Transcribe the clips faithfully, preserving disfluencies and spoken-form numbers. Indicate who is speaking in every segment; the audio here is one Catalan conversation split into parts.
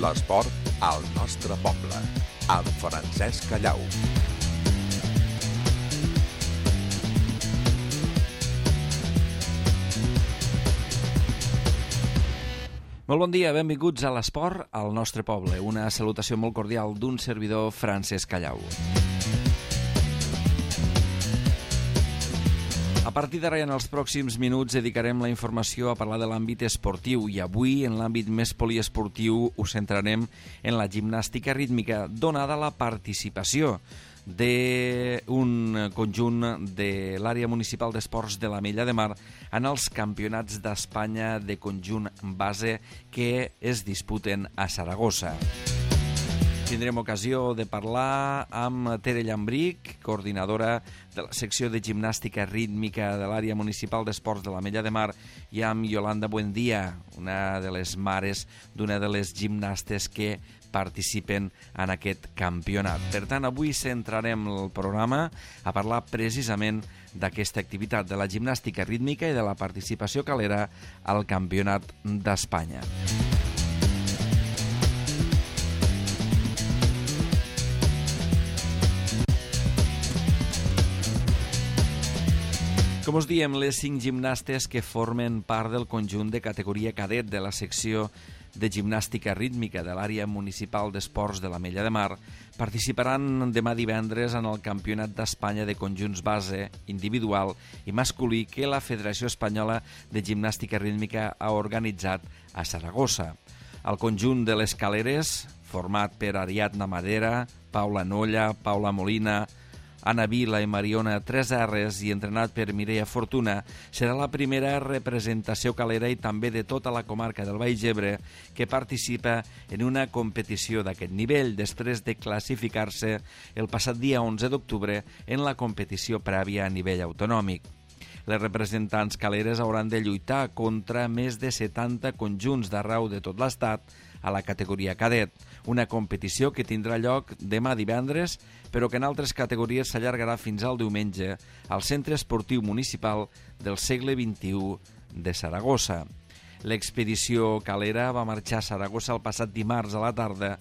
Speaker 1: L'esport al nostre poble, amb Francesc Callau.
Speaker 2: Molt bon dia, benvinguts a l'Esport al nostre poble. Una salutació molt cordial d'un servidor, Francesc Callau. A partir d'ara i en els pròxims minuts dedicarem la informació a parlar de l'àmbit esportiu i avui, en l'àmbit més poliesportiu, ho centrarem en la gimnàstica rítmica, donada la participació d'un conjunt de l'àrea municipal d'esports de l'Ametlla de Mar en els campionats d'Espanya de conjunt base que es disputen a Saragossa. Tindrem ocasió de parlar amb Tere Llambric, coordinadora de la secció de gimnàstica rítmica de l'àrea municipal d'esports de l'Ametlla de Mar, i amb Yolanda Buendia, una de les mares d'una de les gimnastes que participen en aquest campionat. Per tant, avui centrarem el programa a parlar precisament d'aquesta activitat, de la gimnàstica rítmica i de la participació calera al Campionat d'Espanya. Com us diem, les cinc gimnastes que formen part del conjunt de categoria cadet de la secció de gimnàstica rítmica de l'àrea municipal d'esports de l'Ametlla de Mar participaran demà divendres en el Campionat d'Espanya de conjunts base, individual i masculí que la Federació Espanyola de Gimnàstica Rítmica ha organitzat a Saragossa. El conjunt de les caleres, format per Ariadna Madera, Paula Nolla, Paula Molina, Anna Vila i Mariona Tres R's i entrenat per Mireia Fortuna, serà la primera representació calera i també de tota la comarca del Baix Ebre que participa en una competició d'aquest nivell després de classificar-se el passat dia onze d'octubre en la competició prèvia a nivell autonòmic. Les representants caleres hauran de lluitar contra més de setanta conjunts d'arreu de tot l'estat a la categoria cadet, una competició que tindrà lloc demà divendres, però que en altres categories s'allargarà fins al diumenge al Centre Esportiu Municipal del segle vint-i-u de Saragossa. L'expedició calera va marxar a Saragossa el passat dimarts a la tarda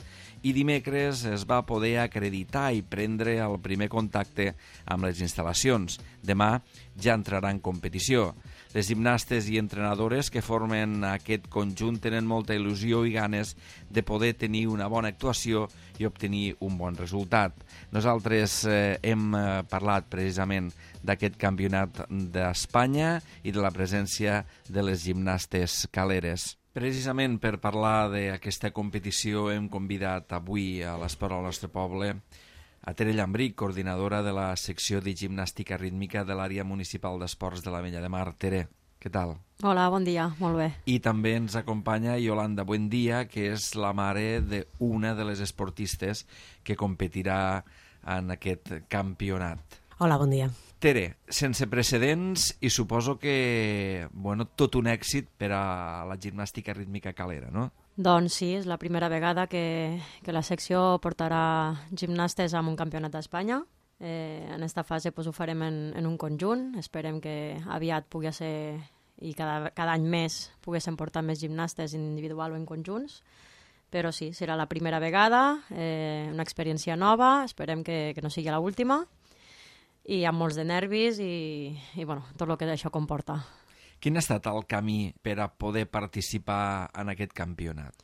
Speaker 2: i dimecres es va poder acreditar i prendre el primer contacte amb les instal·lacions. Demà ja entrarà en competició. Les gimnastes i entrenadores que formen aquest conjunt tenen molta il·lusió i ganes de poder tenir una bona actuació i obtenir un bon resultat. Nosaltres eh, hem eh, parlat precisament d'aquest campionat d'Espanya i de la presència de les gimnastes caleres. Precisament per parlar d'aquesta competició hem convidat avui a l'Esport al nostre poble a Tere Llambric, coordinadora de la secció de gimnàstica rítmica de l'àrea municipal d'esports de l'Ametlla de Mar. Tere, què tal?
Speaker 3: Hola, bon dia, molt bé.
Speaker 2: I també ens acompanya Yolanda Buendia, que és la mare d'una de les esportistes que competirà en aquest campionat.
Speaker 4: Hola, bon dia.
Speaker 2: Tere, sense precedents i suposo que, bueno, tot un èxit per a la gimnàstica rítmica calera, no?
Speaker 3: Doncs sí, és la primera vegada que, que la secció portarà gimnastes a un campionat d'Espanya. Eh, en aquesta fase pues, ho farem en, en un conjunt. Esperem que aviat pugui ser, i cada, cada any més, poguéssim portar més gimnastes individual o en conjunts. Però sí, serà la primera vegada, eh, una experiència nova, esperem que, que no sigui l'última, i amb molts de nervis i, i bueno, tot el que això comporta.
Speaker 2: Quin ha estat el camí per a poder participar en aquest campionat?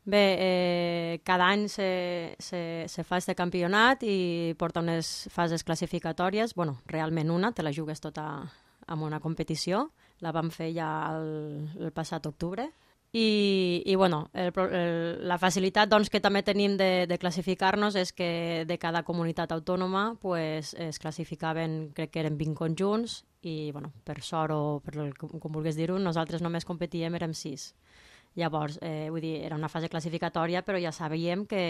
Speaker 3: Bé, eh, cada any se, se, se fa aquest campionat i porta unes fases classificatòries. Bueno, realment una, te la jugues tota en una competició. La vam fer ja el, el passat octubre. I, i bueno, el, el, la facilitat doncs, que també tenim de, de classificar-nos és que de cada comunitat autònoma pues, es classificaven, crec que eren vint conjunts, i bueno, per sort o per el, com, com vulguis dir-ho, nosaltres només competíem, érem sis. Llavors, eh, vull dir, era una fase classificatòria, però ja sabíem que,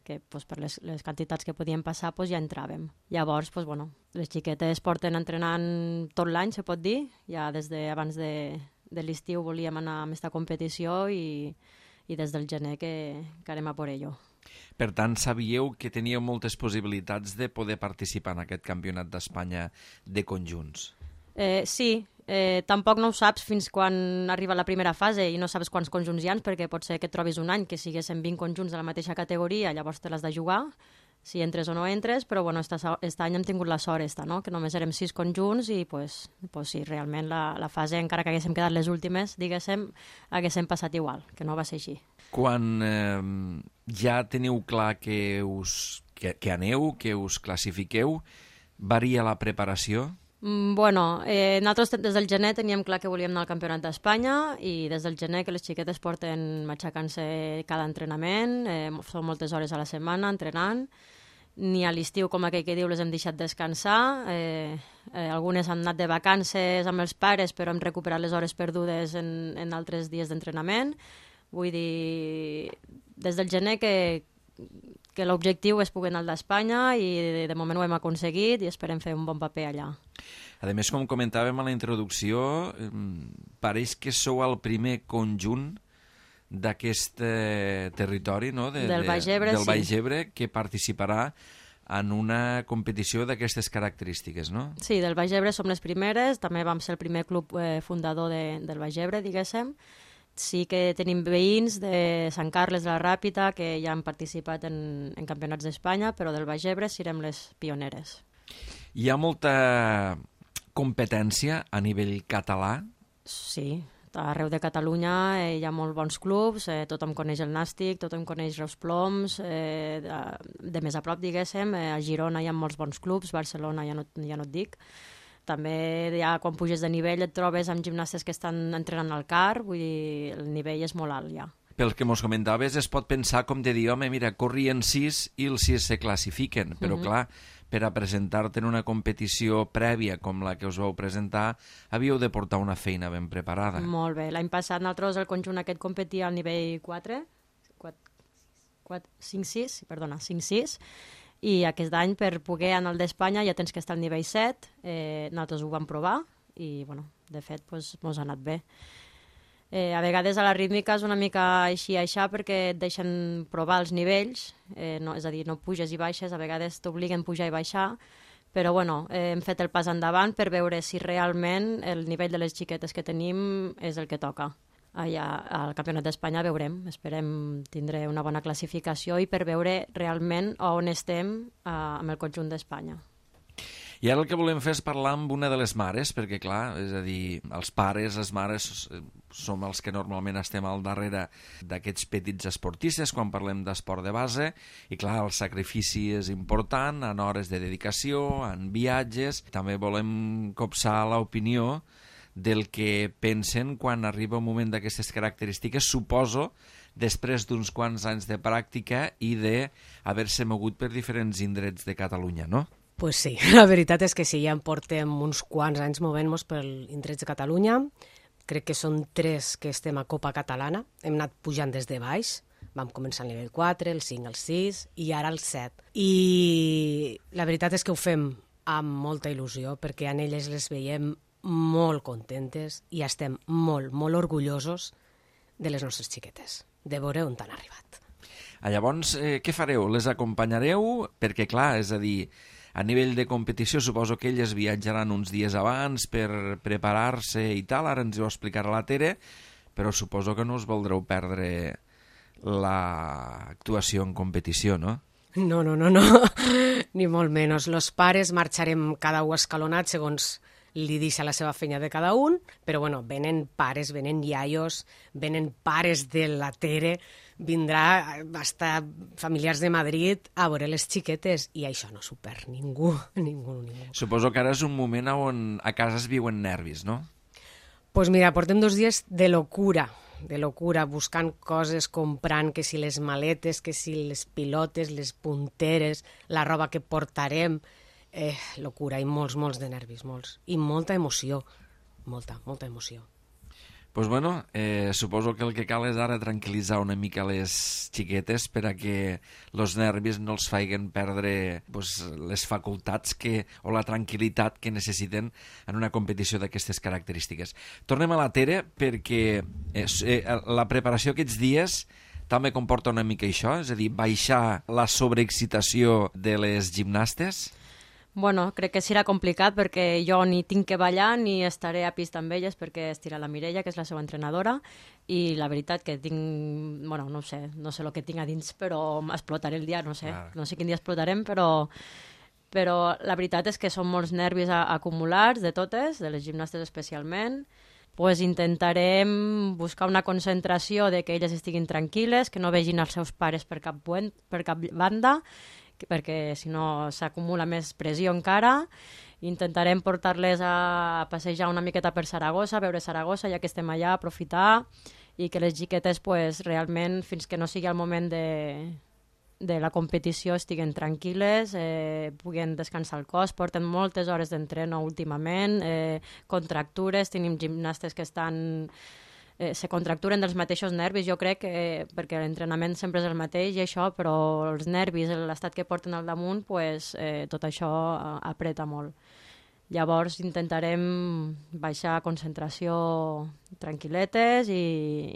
Speaker 3: que pues, per les, les quantitats que podíem passar pues, ja entràvem. Llavors, pues, bueno, les xiquetes porten entrenant tot l'any, se pot dir, ja des d'abans de, de l'estiu volíem anar a aquesta competició i, i des del gener que, que anem a por ello.
Speaker 2: Per tant, sabíeu que teníeu moltes possibilitats de poder participar en aquest campionat d'Espanya de conjunts.
Speaker 3: Eh, sí, Eh, tampoc no ho saps fins quan arriba la primera fase i no saps quants conjunts hi ha, perquè pot ser que et trobis un any que siguessin vint conjunts de la mateixa categoria, llavors te l'has de jugar, si entres o no entres, però bueno, aquest any hem tingut la sort esta, no? Que només érem sis conjunts i pues, pues sí, realment la, la fase, encara que haguéssim quedat les últimes, diguéssim, haguéssim passat igual, que no va ser així.
Speaker 2: Quan eh, ja teniu clar que, us, que, que aneu, que us classifiqueu, varia la preparació?
Speaker 3: Mm, bueno, eh, nosaltres des del gener teníem clar que volíem anar al Campionat d'Espanya i des del gener que les xiquetes porten matxacant-se cada entrenament, eh, són moltes hores a la setmana entrenant, ni a l'estiu, com aquell que diu, les hem deixat descansar, eh, eh, algunes han anat de vacances amb els pares però hem recuperat les hores perdudes en, en altres dies d'entrenament. Vull dir, des del gener que, que l'objectiu és poder anar d'Espanya i de, de moment ho hem aconseguit i esperem fer un bon paper allà.
Speaker 2: A més, com comentàvem a la introducció, eh, pareix que sou el primer conjunt d'aquest eh, territori, no? de,
Speaker 3: del Baix Ebre,
Speaker 2: del Baix
Speaker 3: sí.
Speaker 2: Ebre, que participarà en una competició d'aquestes característiques, no?
Speaker 3: Sí, del Baix Ebre som les primeres, també vam ser el primer club eh, fundador de, del Baix Ebre, diguéssim. Sí que tenim veïns de Sant Carles de la Ràpita que ja han participat en, en campionats d'Espanya, però del Baix Ebre serem les pioneres.
Speaker 2: Hi ha molta competència a nivell català?
Speaker 3: Sí, arreu de Catalunya eh, hi ha molts bons clubs, eh, tothom coneix el Nàstic, tothom coneix Reus Ploms, eh, de, de més a prop, diguéssim, eh, a Girona hi ha molts bons clubs, Barcelona ja no, ja no et dic. També ja quan puges de nivell et trobes amb gimnastes que estan entrenant al C A R, vull dir, el nivell és molt alt ja.
Speaker 2: Pel que mos comentaves, es pot pensar com de dir, home, mira, corrien sis i els sis se classifiquen, però uh-huh. clar, per a presentar-te en una competició prèvia com la que us vau presentar, havíeu de portar una feina ben preparada.
Speaker 3: Molt bé. L'any passat nosaltres el conjunt aquest competia al nivell quatre, cinc sis, perdona, cinc sis, i aquest any per poder anar al d'Espanya ja tens que estar al nivell set, eh, nosaltres ho vam provar i, bueno, de fet, doncs, mos ha anat bé. Eh, a vegades a la rítmica és una mica així aixà perquè et deixen provar els nivells, eh, no, és a dir, no puges i baixes, a vegades t'obliguen a pujar i baixar, però bueno, eh, hem fet el pas endavant per veure si realment el nivell de les xiquetes que tenim és el que toca. Allà al Campionat d'Espanya veurem, esperem tindre una bona classificació i per veure realment on estem eh, amb el conjunt d'Espanya.
Speaker 2: I ara el que volem fer és parlar amb una de les mares, perquè clar, és a dir, els pares, les mares som els que normalment estem al darrere d'aquests petits esportistes quan parlem d'esport de base, i clar, el sacrifici és important en hores de dedicació, en viatges. També volem copsar l'opinió del que pensen quan arriba un moment d'aquestes característiques, suposo, després d'uns quants anys de pràctica i d'haver-se mogut per diferents indrets de Catalunya, no?
Speaker 4: Pues sí, la veritat és que sí, ja en portem uns quants anys movent-nos per indrets de Catalunya. Crec que són tres que estem a Copa Catalana. Hem anat pujant des de baix. Vam començar al nivell quatre, el cinc, el sis i ara el set. I la veritat és que ho fem amb molta il·lusió perquè en elles les veiem molt contentes i estem molt, molt orgullosos de les nostres xiquetes, de veure on han arribat.
Speaker 2: Ah, llavors, eh, què fareu? Les acompanyareu? Perquè, clar, és a dir, a nivell de competició suposo que elles viatjaran uns dies abans per preparar-se i tal, ara ens ho explicarà la Tere, però suposo que no us voldreu perdre l'actuació en competició, no?
Speaker 4: No, no, no, no, ni molt menys. Los pares marxarem cada un escalonat segons li deixa la seva feina de cada un, però bueno, venen pares, venen iaios, venen pares de la Tere, vindrà hasta familiars de Madrid a veure les xiquetes i això no s'ho perd ningú, ningú, ningú.
Speaker 2: Suposo que ara és un moment on a casa es viuen nervis, no?
Speaker 4: Pues mira, portem dos dies de locura, de locura, buscant coses, comprant, que si les maletes, que si les pilotes, les punteres, la roba que portarem, eh, locura, i molts, molts de nervis, molts, i molta emoció, molta, molta emoció.
Speaker 2: Pues bueno, eh, suposo que el que cal és ara tranquil·litzar una mica les xiquetes per a que els nervis no els facin perdre pues, les facultats que, o la tranquil·litat que necessiten en una competició d'aquestes característiques. Tornem a la Tere perquè eh, eh, la preparació aquests dies també comporta una mica això, és a dir, baixar la sobreexcitació de les gimnastes?
Speaker 3: Bueno, crec que serà complicat perquè jo ni tinc que ballar ni estaré a pista amb elles perquè estirà la Mireia, que és la seva entrenadora, i la veritat que tinc, bueno, no ho sé, no sé el que tinc a dins, però explotaré el dia, no sé,
Speaker 2: Clar.
Speaker 3: no sé quin dia explotarem, però, però la veritat és que són molts nervis a, acumulats de totes, de les gimnastes especialment. Pues intentarem buscar una concentració de que elles estiguin tranquil·les, que no vegin els seus pares per cap, buen, per cap banda, perquè si no s'acumula més pressió encara. Intentarem portar-les a passejar una miqueta per Saragossa, a veure Saragossa, ja que estem allà, aprofitar, i que les xiquetes pues, realment, fins que no sigui el moment de, de la competició, estiguen tranquil·les, eh, puguen descansar el cos, porten moltes hores d'entreno últimament, eh, contractures, tenim gimnastes que estan... Eh, se contracturen dels mateixos nervis, jo crec, eh, perquè l'entrenament sempre és el mateix i això, però els nervis, l'estat que porten al damunt, pues, eh, tot això apreta molt. Llavors intentarem baixar a concentració tranquil·letes i,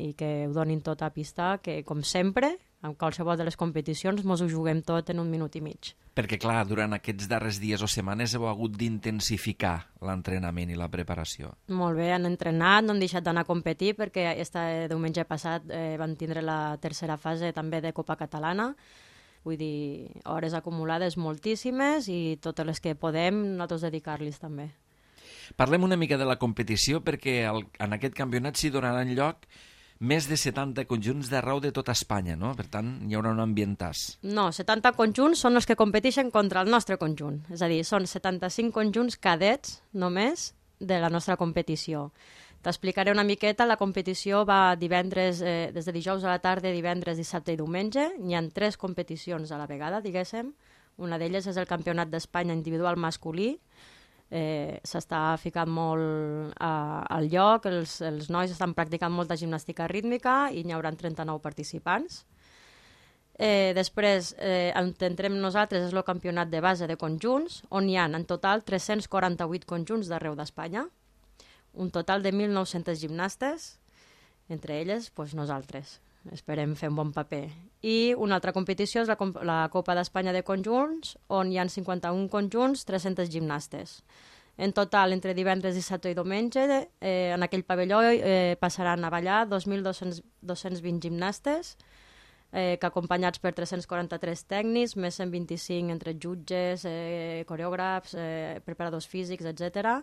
Speaker 3: i que ho donin tot a pista, que com sempre, en qualsevol de les competicions, mos ho juguem tot en un minut i mig.
Speaker 2: Perquè, clar, durant aquests darrers dies o setmanes heu hagut d'intensificar l'entrenament i la preparació.
Speaker 3: Molt bé, han entrenat, no han deixat d'anar a competir perquè este diumenge passat eh, van tindre la tercera fase també de Copa Catalana. Vull dir, hores acumulades moltíssimes i totes les que podem nosaltres dedicar-los també.
Speaker 2: Parlem una mica de la competició perquè el, en aquest campionat s'hi donaran lloc més de setanta conjunts d'arreu de tota Espanya, no? Per tant, hi haurà un ambientàs.
Speaker 3: No, setanta conjunts són els que competeixen contra el nostre conjunt. És a dir, són setanta-cinc conjunts cadets només de la nostra competició. T'explicaré una miqueta, la competició va divendres, eh, des de dijous a la tarda, divendres, dissabte i diumenge. Hi ha tres competicions a la vegada, diguéssim. Una d'elles és el Campionat d'Espanya individual masculí. Eh, s'està ficant molt a, al lloc, els, els nois estan practicant molta gimnàstica rítmica i n'hi haurà trenta-nou participants. Eh, després, eh, on entrem nosaltres és el campionat de base de conjunts, on hi ha en total tres-cents quaranta-vuit conjunts d'arreu d'Espanya, un total de mil nou-cents gimnastes, entre elles pues, nosaltres. Esperem fer un bon paper. I una altra competició és la, la Copa d'Espanya de conjunts, on hi ha cinquanta-un conjunts, tres-cents gimnastes. En total, entre divendres, dissabte i diumenge, eh, en aquell pavelló eh, passaran a ballar dos mil dos-cents vint gimnastes, eh, que acompanyats per tres-cents quaranta-tres tècnics, més cent vint-i-cinc entre jutges, eh, coreògrafs, eh, preparadors físics, etcètera,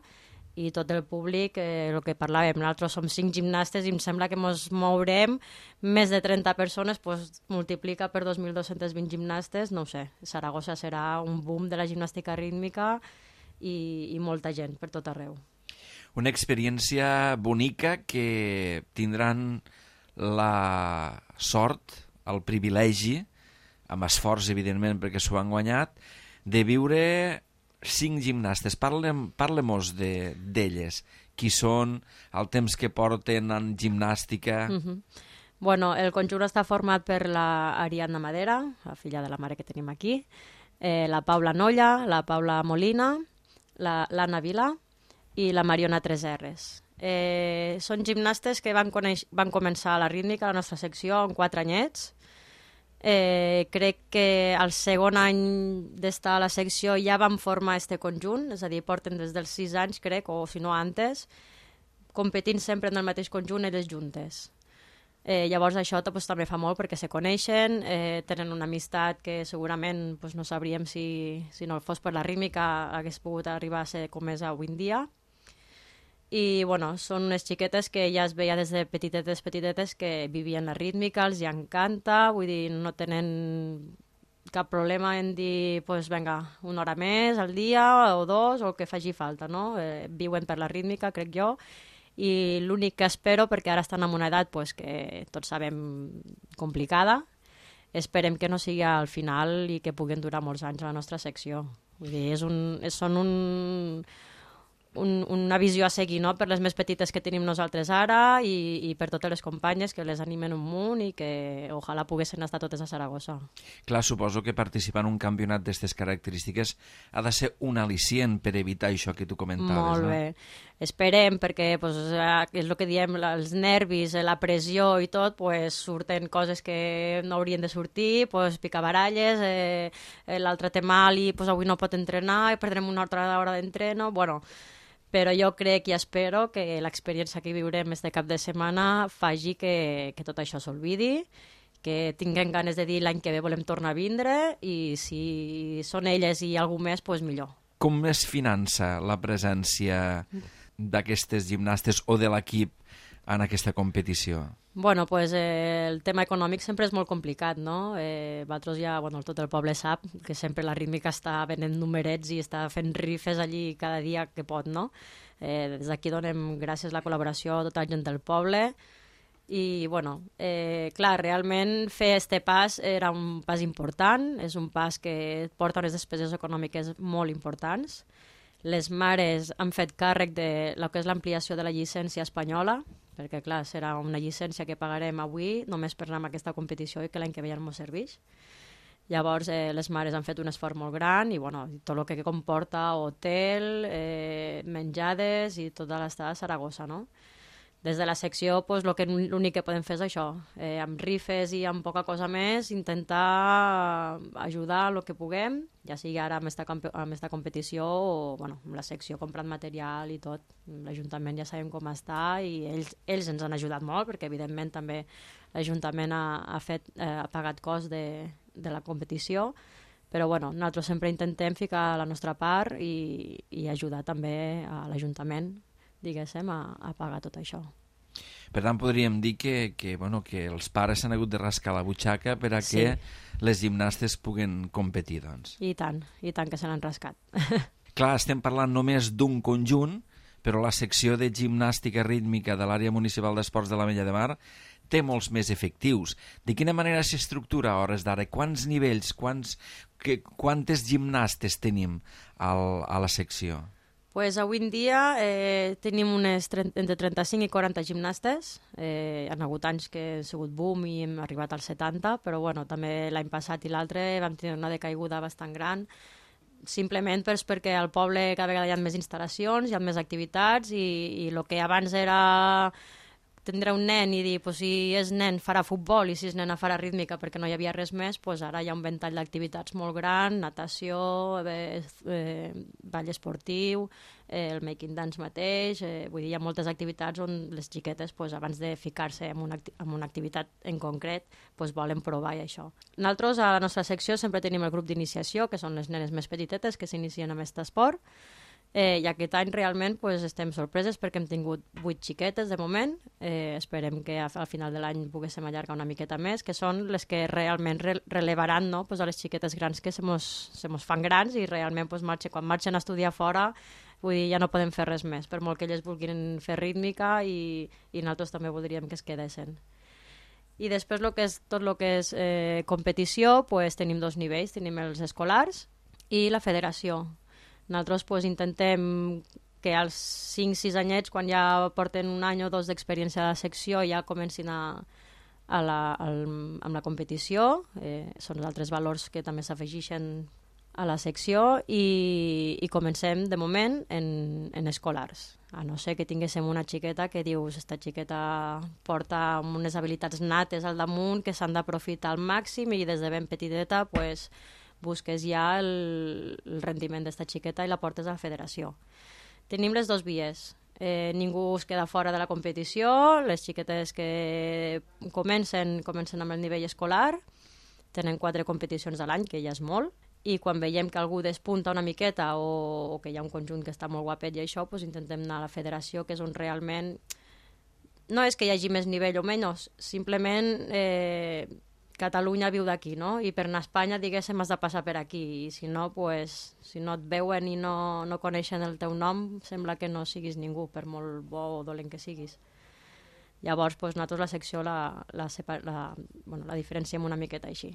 Speaker 3: i tot el públic, eh, el que parlàvem, nosaltres som cinc gimnastes i em sembla que ens mourem més de trenta persones, pues, multiplica per dos mil dos-cents vint gimnastes, no ho sé, Saragossa serà un boom de la gimnàstica rítmica i, i molta gent per tot arreu.
Speaker 2: Una experiència bonica que tindran la sort, el privilegi, amb esforç, evidentment, perquè s'ho han guanyat, de viure cinc gimnastes. Parlem, parlem-nos d'elles. De, qui són, el temps que porten en gimnàstica...
Speaker 3: Mm-hmm. Bueno, el conjunt està format per la Ariadna Madera, la filla de la mare que tenim aquí, eh, la Paula Nolla, la Paula Molina, l'Anna Vila i la Mariona Treserres. Eh, són gimnastes que van, coneix, van començar a la rítmica, a la nostra secció, amb quatre anyets. Eh, crec que al segon any d'estar a la secció ja vam formar este conjunt, és a dir, porten des dels sis anys, crec, o si no antes, competint sempre en el mateix conjunt elles juntes. Eh, llavors això pues, també fa molt perquè se coneixen, eh, tenen una amistat que segurament pues, no sabríem si, si no fos per la rítmica hagués pogut arribar a ser com és avui en dia. I bueno, són unes xiquetes que ja es veia des de petitetes, petitetes que vivien la rítmica, els hi encanta, vull dir, no tenen cap problema en dir, pues venga, una hora més al dia o dos, o el que faci falta, no? Eh, viuen per la rítmica, crec jo, i l'únic que espero, perquè ara estan en una edat pues, que tots sabem complicada, esperem que no sigui al final i que puguen durar molts anys a la nostra secció. Vull dir, és un, és, són un... un, una visió a seguir, no?, per les més petites que tenim nosaltres ara i, i per totes les companyes que les animen un munt i que ojalà poguessin estar totes a Saragossa.
Speaker 2: Clar, suposo que participar en un campionat d'aquestes característiques ha de ser un al·licient per evitar això que tu comentaves.
Speaker 3: Molt
Speaker 2: no?
Speaker 3: bé. Esperem, perquè pues, és el que diem, els nervis, la pressió i tot, pues, surten coses que no haurien de sortir, pues, picabaralles, eh, l'altre té mal i pues, avui no pot entrenar i perdrem una altra hora d'entreno, bueno, però jo crec i espero que l'experiència que viurem este cap de setmana faci que, que tot això s'olvidi, que tinguem ganes de dir l'any que ve volem tornar a vindre i si són elles i algú més, pues, millor.
Speaker 2: Com es finança la presència d'aquestes gimnastes o de l'equip en aquesta competició?
Speaker 3: Bueno, pues eh, el tema econòmic sempre és molt complicat, no? Eh, vosaltres ja, bueno, tot el poble sap que sempre la rítmica està venent numerets i està fent rifes allí cada dia que pot, no? Eh, des d'aquí donem gràcies a la col·laboració a tota la gent del poble i, bueno, eh, clar, realment fer este pas era un pas important, és un pas que porta unes despeses econòmiques molt importants. Les mares han fet càrrec de lo que és l'ampliació de la llicència espanyola, perquè, clar, serà una llicència que pagarem avui només per anar a aquesta competició i que l'any que ve ja no ens serveix. Llavors, eh, les mares han fet un esforç molt gran i, bueno, tot el que comporta hotel, eh, menjades i tota l'estada a Saragossa, no? Des de la secció, pues, lo que, l'únic que podem fer és això, eh, amb rifes i amb poca cosa més, intentar ajudar el que puguem, ja sigui ara amb esta, amb esta competició o bueno, amb la secció comprant material i tot. L'Ajuntament ja sabem com està i ells, ells ens han ajudat molt perquè, evidentment, també l'Ajuntament ha, ha, fet, eh, ha pagat cost de, de la competició, però bueno, nosaltres sempre intentem ficar la nostra part i, i ajudar també a l'Ajuntament, diguéssim, a, a pagar tot això.
Speaker 2: Per tant, podríem dir que, que, bueno, que els pares s'han hagut de rascar la butxaca per a que sí. les gimnastes puguen competir, doncs.
Speaker 3: I tant, i tant que se l'han rascat.
Speaker 2: Clar, estem parlant només d'un conjunt, però la secció de gimnàstica rítmica de l'àrea municipal d'esports de l'Ametlla de Mar té molts més efectius. De quina manera s'estructura a hores d'ara? Quants nivells, quants, que, quantes gimnastes tenim al, a la secció?
Speaker 3: Pues avui en dia eh, tenim unes trenta, entre trenta-cinc i quaranta gimnastes. Eh, han hagut anys que han sigut boom i hem arribat als setanta, però bueno, també l'any passat i l'altre vam tenir una decaiguda bastant gran, simplement pues, perquè al poble cada vegada hi ha més instal·lacions, hi ha més activitats i, i el que abans era tindre un nen i dir, pues, si és nen farà futbol i si és nena farà rítmica perquè no hi havia res més, pues, ara hi ha un ventall d'activitats molt gran, natació, eh, eh, ball esportiu, eh, el making dance mateix, eh, vull dir, hi ha moltes activitats on les xiquetes, pues, abans de ficar-se en una, en una activitat en concret, pues, volen provar i això. Nosaltres a la nostra secció sempre tenim el grup d'iniciació, que són les nenes més petitetes que s'inicien amb aquest esport. Eh, I aquest any realment pues, estem sorpreses perquè hem tingut vuit xiquetes de moment. Eh, esperem que al final de l'any poguéssim allargar una miqueta més, que són les que realment re relevaran, no? Pues, a les xiquetes grans que se mos, se mos fan grans i realment pues, marxa, quan marxen a estudiar fora, vull dir, ja no podem fer res més, per molt que elles vulguin fer rítmica i, i nosaltres també voldríem que es quedessin. I després lo que és, tot el que és eh, competició, pues, tenim dos nivells, tenim els escolars i la federació. Nosaltres pues, intentem que als cinc sis anyets, quan ja porten un any o dos d'experiència a la secció, ja comencin a, a la, al, amb la competició. Eh, són els altres valors que també s'afegeixen a la secció i, i comencem, de moment, en, en escolars. A no ser que tinguéssim una xiqueta que dius esta xiqueta porta unes habilitats nates al damunt que s'han d'aprofitar al màxim i des de ben petiteta pues, busques ja el, el rendiment d'esta xiqueta i la portes a la federació. Tenim les dues vies. Eh, ningú es queda fora de la competició. Les xiquetes que comencen, comencen amb el nivell escolar, tenen quatre competicions a l'any, que ja és molt, i quan veiem que algú despunta una miqueta o, o que hi ha un conjunt que està molt guapet i això, pues intentem anar a la federació, que és on realment no és que hi hagi més nivell o menys, simplement eh, Catalunya viu d'aquí, no? I per anar a Espanya, diguéssim, has de passar per aquí. I si no, pues, si no et veuen i no, no coneixen el teu nom, sembla que no siguis ningú, per molt bo o dolent que siguis. Llavors, pues, nosaltres la secció la, la, la, bueno, la diferenciem una miqueta així.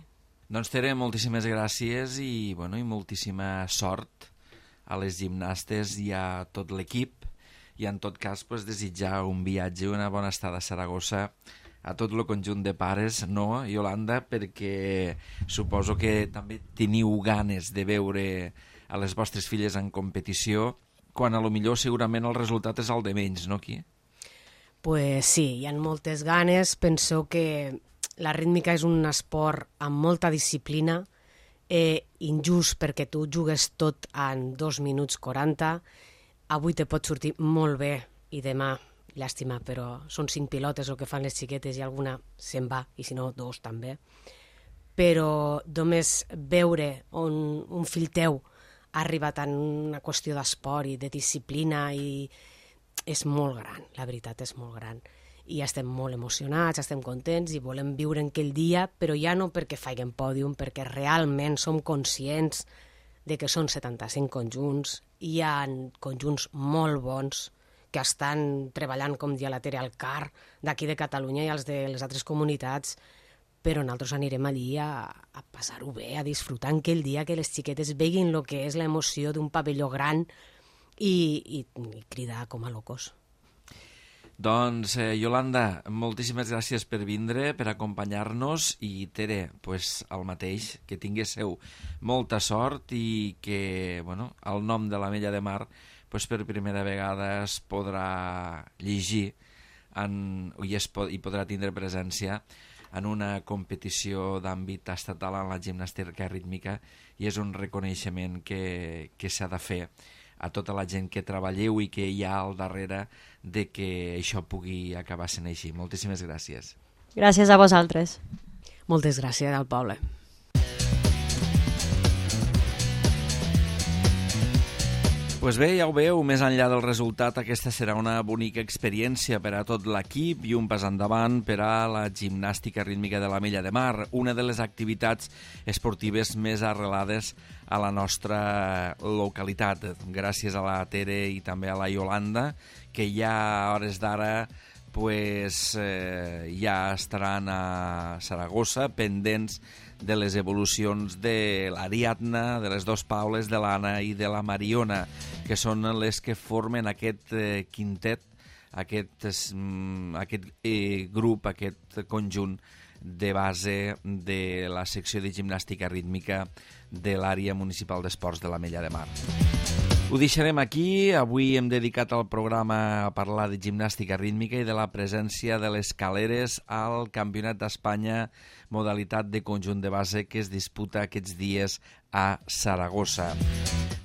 Speaker 2: Doncs Tere, moltíssimes gràcies i, bueno, i moltíssima sort a les gimnastes i a tot l'equip, i en tot cas pues, desitjar un viatge i una bona estada a Saragossa a tot el conjunt de pares, no, Iolanda? Perquè suposo que també teniu ganes de veure a les vostres filles en competició, quan a lo millor segurament el resultat és el de menys, no, aquí?
Speaker 4: Pues sí, hi ha moltes ganes. Penso que la rítmica és un esport amb molta disciplina, eh, injust perquè tu jugues tot en dos minuts quaranta. Avui te pot sortir molt bé i demà, llàstima, però són cinc pilotes el que fan les xiquetes i alguna se'n va, i si no, dos també. Però només veure on un fill teu ha arribat en una qüestió d'esport i de disciplina i és molt gran, la veritat és molt gran. I estem molt emocionats, estem contents i volem viure en aquell dia, però ja no perquè faiguem pòdium, perquè realment som conscients de que són setanta-cinc conjunts, hi ha conjunts molt bons que estan treballant, com dia la Tere, al C A R d'aquí de Catalunya i els de les altres comunitats, però nosaltres anirem allí a, a passar-ho bé, a disfrutar en aquell dia, que les xiquetes veguin el que és l'emoció d'un pavelló gran i, i, i cridar com a locos.
Speaker 2: Doncs, eh, Iolanda, moltíssimes gràcies per vindre, per acompanyar-nos, i Tere, pues, el mateix, que tinguéssiu molta sort i que, bueno, el nom de l'Ametlla de Mar pues, per primera vegada es podrà llegir en, i, es pod, i podrà tindre presència en una competició d'àmbit estatal en la gimnàstica rítmica, i és un reconeixement que, que s'ha de fer a tota la gent que treballeu i que hi ha al darrere de que això pugui acabar sent així. Moltíssimes gràcies.
Speaker 3: Gràcies a vosaltres.
Speaker 4: Moltes gràcies al poble.
Speaker 2: Pues bé, ja ho veieu, més enllà del resultat, aquesta serà una bonica experiència per a tot l'equip i un pas endavant per a la gimnàstica rítmica de l'Ametlla de Mar, una de les activitats esportives més arrelades a la nostra localitat. Gràcies a la Tere i també a la Iolanda, que ja a hores d'ara pues, eh, ja estaran a Saragossa pendents de les evolucions de l'Ariadna, de les dos Paules, de l'Anna i de la Mariona, que són les que formen aquest eh, quintet, aquest, aquest eh, grup, aquest conjunt de base de la secció de gimnàstica rítmica de l'àrea municipal d'esports de l'Ametlla de Mar. Ho deixarem aquí. Avui hem dedicat el programa a parlar de gimnàstica rítmica i de la presència de les caleres al Campionat d'Espanya modalitat de conjunt de base que es disputa aquests dies a Saragossa.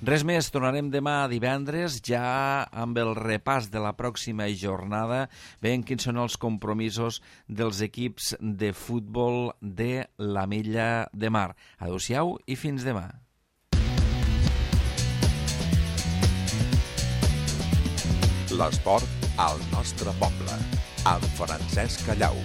Speaker 2: Res més, tornarem demà divendres ja amb el repàs de la pròxima jornada, veient quins són els compromisos dels equips de futbol de l'Ametlla de Mar. Adéu-siau i fins demà.
Speaker 1: L'esport al nostre poble, amb Francesc Callau.